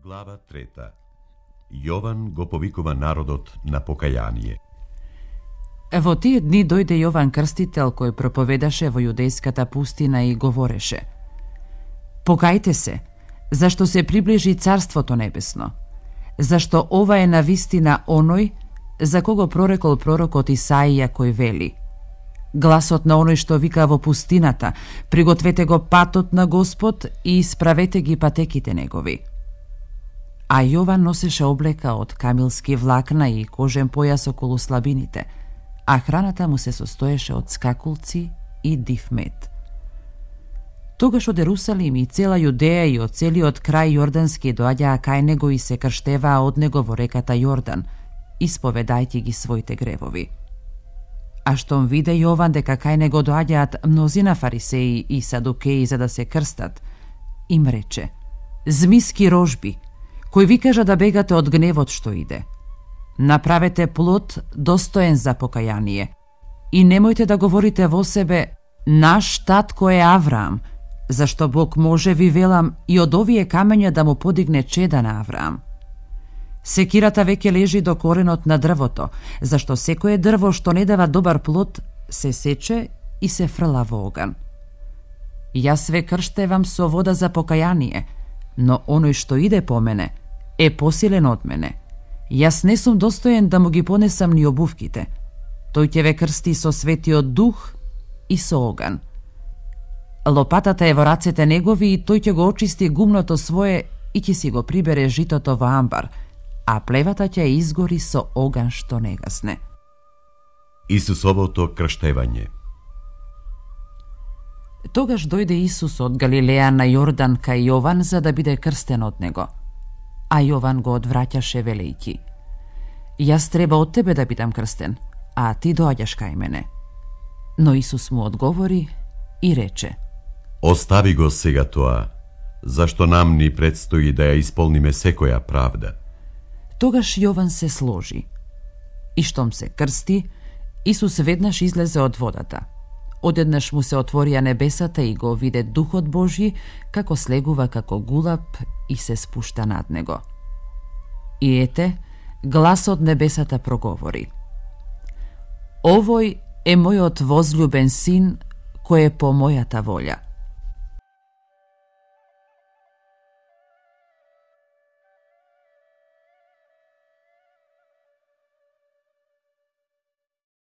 Глава 3. Јован го повикува народот на покаяние. Во тие дни дојде Јован Крстител кој проповедаше во јудејската пустина и говореше: Покајте се, зашто се приближи Царството Небесно, зашто ова е навистина оној за кого прорекол пророкот Исаија кој вели: Гласот на оној што вика во пустината, пригответе го патот на Господ и исправете ги патеките негови. А Јован носеше облека од камилски влакна и кожен појас околу слабините, а храната му се состоеше од скакулци и див мед. Тогаш од Ерусалим и цела Јудеја и од целиот крај јордански доаѓаа кај него и се крштеваа од него во реката Јордан, исповедајќи ги своите гревови. А штом виде Јован дека кај него доаѓаат мнозина фарисеи и садукеи за да се крстат, им рече: Змиски рожби, кои ви кажа да бегате од гневот што иде. Направете плод достоен за покаяние и немојте да говорите во себе: Наш татко е Авраам, зашто Бог може, ви велам, и од овие камења да му подигне чеда на Авраам. Секирата веќе лежи до коренот на дрвото, зашто секое дрво што не дава добар плод се сече и се фрла во оган. Јас ве крштевам со вода за покаяние, но оној што иде по мене е посилен од мене. Јас не сум достоен да му ги понесам ни обувките. Тој ќе ве крсти со светиот дух и со оган. Лопатата е во рацете негови и тој ќе го очисти гумното свое и ќе си го прибере житото во амбар, а плевата ќе изгори со оган што не гасне. Исусовото крштевање. Тогаш дојде Исус од Галилеја на Јордан кај Јован за да биде крстен од него. А Јован го одвраќаше велејќи: Јас треба од тебе да бидам крстен, а ти доаѓаш кај мене. Но Исус му одговори и рече: Остави го сега тоа, зашто нам ни предстои да ја исполниме секоја правда. Тогаш Јован се сложи. И штом се крсти, Исус веднаш излезе од водата. Одеднаш му се отворија небесата и го виде Духот Божји како слегува како гулаб и се спушта над него. И ете, глас од небесата проговори: Овој е мојот возљубен син, кој е по мојата волја.